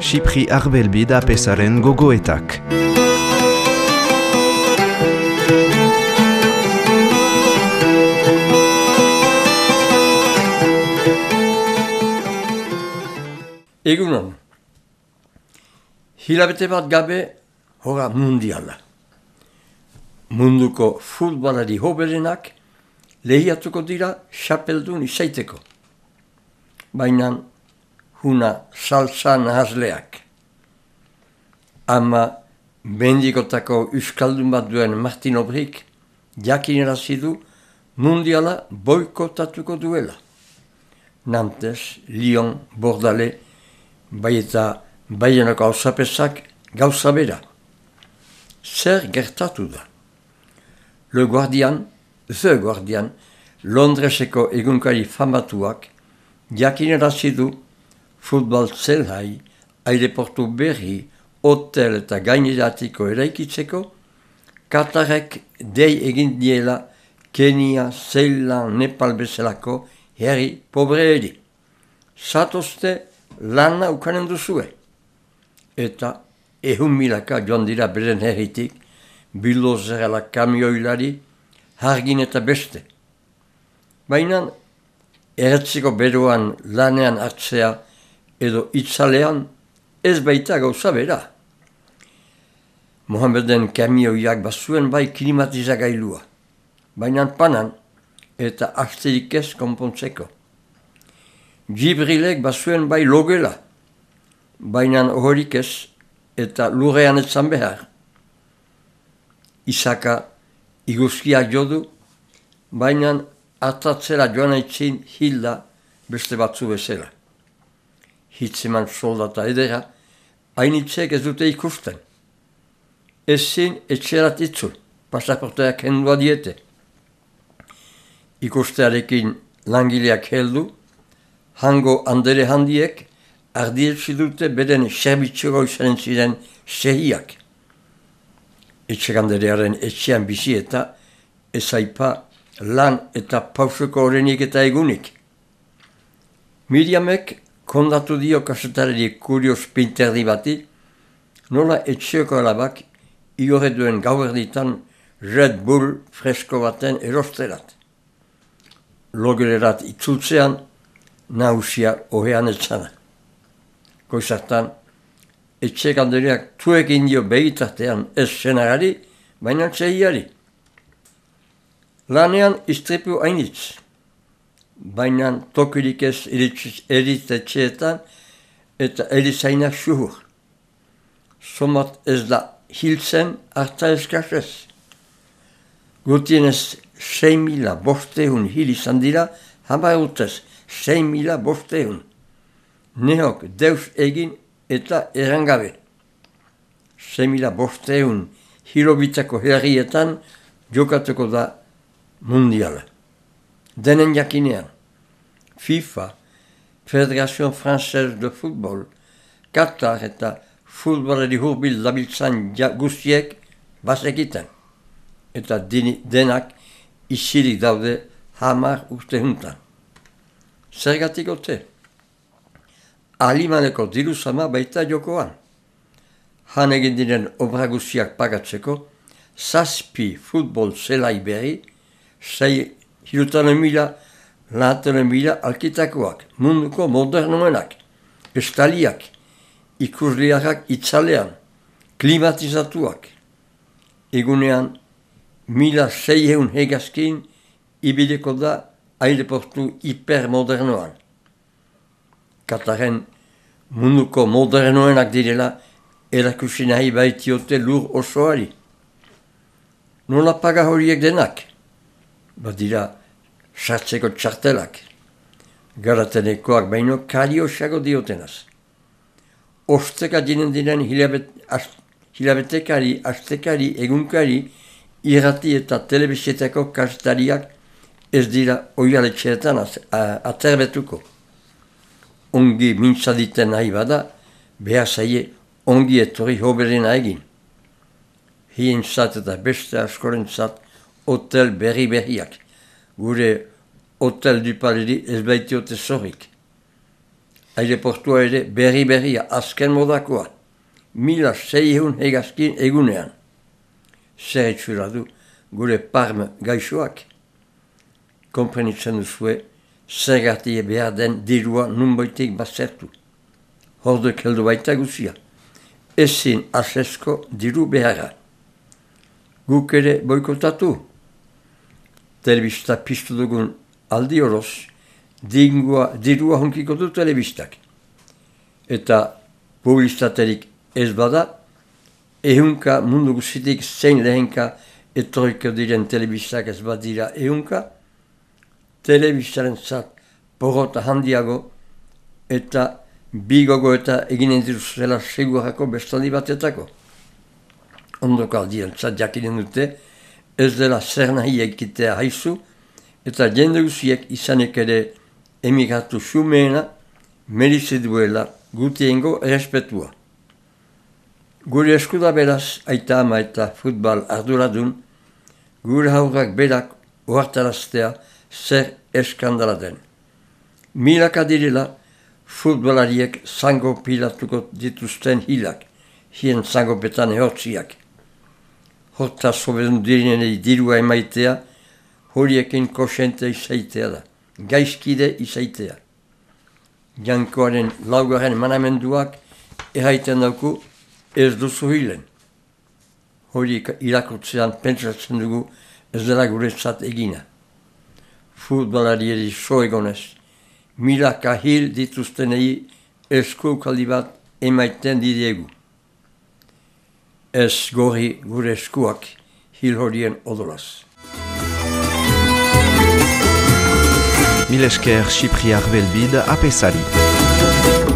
Xipri Arbelbi da pesaren gogoetak. Egunon, hilabete bat gabe hora mundiala. Munduko futbolari hoberenak lehiatuko dira xapeldun izaiteko. Baina huna salsa nahazleak. Ama mendikotako euskaldun bat duen Martin Obrik jakinarazi du mundiala boikotatuko duela. Nantes, Lyon, Bordale, bai eta Baienako auzapesak gauza bera. Zer gertatu da? The Guardian, Londreseko egunkari famatuak jakinarazi du futbol zelai, aireportu berri, hotel eta gaineratiko eraikitzeko, Katarek dei egin diela Kenia, Zeilan, Nepal bezalako herri pobreeri. Zatozte lana ukanen duzue. Eta 100.000 joan dira beren herritik, bildozerala kamioilari, hargin eta beste. Baina erretziko beroan lanean hartzea edo itzalean ez baita gauza bera. Mohameden kamioiak bazuen bai klimatizagailua, baina panan eta asterik ez konpontzeko. Jibrilek bazuen bai logela, baina horik ez eta lurrean etzan behar. Isaka iguzkiak jodu, baina atatzera joan aitzin hilda beste batzu bezala. Hitzeman soldata edera, hainitzek ez dute ikusten. Ezin etxerat itzul, pasaporteak hendua diete. Ikustearekin langileak heldu, hango andere handiek ardietsi dute beren serbitxogo izanen ziren sehiak. Etxeganderearen etxean bizi eta ezaipa lan eta pausoko horrenik eta egunik. Miriamek kondatu dio kasetarari kurios pinterdi bati, nola etxeoko alabak igorre duen gauerditan Red Bull fresko baten erosterat. Logelerat itzultzean, nahusia ohean etzana. Goizartan, etxegandereak tuekin dio begitartean ez senagari, baina txehiari. Lanean istripu hainitz, baina tokirik ez eritetxeetan eta erizainak suhur. Somat ez da hiltzen harta eskasez. Gutienez 6.500 hil izan dira, hamar urtez 6.500. Nehok deus egin eta erangabe. 6.500 hilobitako herrietan jokatuko da mundiala. Denen jakinean, FIFA, Federation Française de Football, Qatar eta futbolari hurbil dabiltzan guztiek bazekiten. Eta denak isilik daude 10 urte juntan. Zergatik ote? Alimaneko diruzama baita jokoan. Han egin diren obra guztiak pagatzeko, 7 futbol zelai berri, 6.000 alkitakoak, munduko modernoenak, estaliak, ikusliarrak itzalean, klimatizatuak. Egunean, 1.600 hegazkin ibideko da aireportu hipermodernoan. Kataren munduko modernoenak direla erakusi nahi baitiote lur osoari. Nola paga horiek denak? Badira sartzeko txartelak. Garatenekoak baino kariosago diotenaz. Osteka diren hilabetekari, astekari, egunkari, irrati eta telebizietako kasetariak ez dira oialetxeetan aterbetuko. Ongi mintzaditen nahi bada, behar zaie ongi etorri hoberena egin. Hientzat eta beste askorentzat hotel berriak. Gure hotel dupaleri ez baitiote zorrik. aireportua ere berri-berria azken modakoa, 1600 hegazkin egunean. Zer etxura du gure parme gaixoak? Konprenitzen duzue, zergatik behar den dirua nunboitek bazertu. Hordek heldu baita guzia. Ezin asesko diru beharra. Guk ere boikotatu. Telebista piztu dugun aldi horoz, dirua hunkiko du telebistak. Eta publizitaterik ez bada, ehunka mundu guzitik zein lehenka etorriko diren telebistak ez badira ehunka, telebistaren zat porrota handiago eta bigogo eta eginen diruzela segurako bestaldi batetako. Ondoko aldien zat jakinen dute, ez dela zer nahi egitea haizu, eta jende guziek izanek ere emigratu xumeena, merize duela gutiengo errespetua. Gure eskuda beraz, aita ama eta futbal arduradun, gure haurrak berak ohartaraztea zer eskandala den. Milaka direla, futbolariek zango pilatuko dituzten hilak, hien zangopetan ehortziak. Horta sobedun direnei dirua emaitea, horiekin kosente izaitea da, gaizkide izaitea. Jankoaren laugaren manamenduak erraiten dauku ez duzu hilen. Horiek irakurtzean pentsatzen dugu ez dela guretzat egina. Futbolarieri so egonez, milaka hil dituztenei eskukaldi bat emaiten didiegu. Ez gorri gure eskuak hil horien odolaz. Mil esker Chypri Arbelbide apesari.